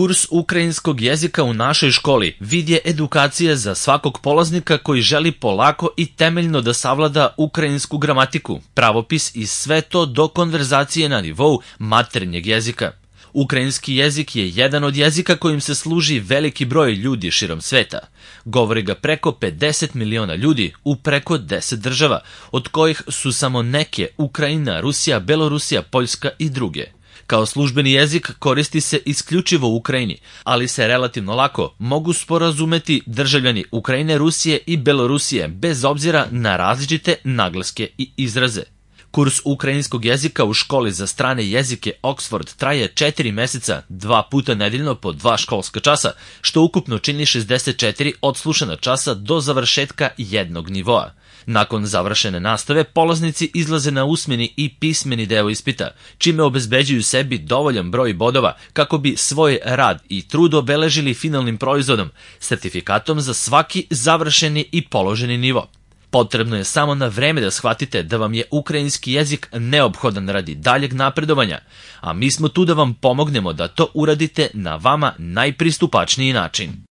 Kurs ukrajinskog jezika u našoj školi vid je edukacija za svakog polaznika koji želi polako i temeljno da savlada ukrajinsku gramatiku, pravopis i sve to do konverzacije na nivou maternjeg jezika. Ukrajinski jezik je jedan od jezika kojim se služi veliki broj ljudi širom sveta. Govori ga preko 50 miliona ljudi u preko 10 država, od kojih su samo neke Ukrajina, Rusija, Belorusija, Poljska i druge. Kao službeni jezik koristi se isključivo u Ukrajini, ali se relativno lako mogu sporazumeti državljani Ukrajine, Rusije i Belorusije bez obzira na različite naglaske i izraze. Kurs ukrajinskog jezika u školi za strane jezike Oxford traje 4 meseca, 2 puta nedeljno po 2 školska časa, što ukupno čini 64 odslušana časa do završetka jednog nivoa. Nakon završene nastave, polaznici izlaze na usmeni i pismeni deo ispita, čime obezbeđuju sebi dovoljan broj bodova kako bi svoj rad i trud obeležili finalnim proizvodom, sertifikatom za svaki završeni i položeni nivo. Potrebno je samo na vreme da shvatite da vam je ukrajinski jezik neophodan radi daljeg napredovanja, a mi smo tu da vam pomognemo da to uradite na vama najpristupačniji način.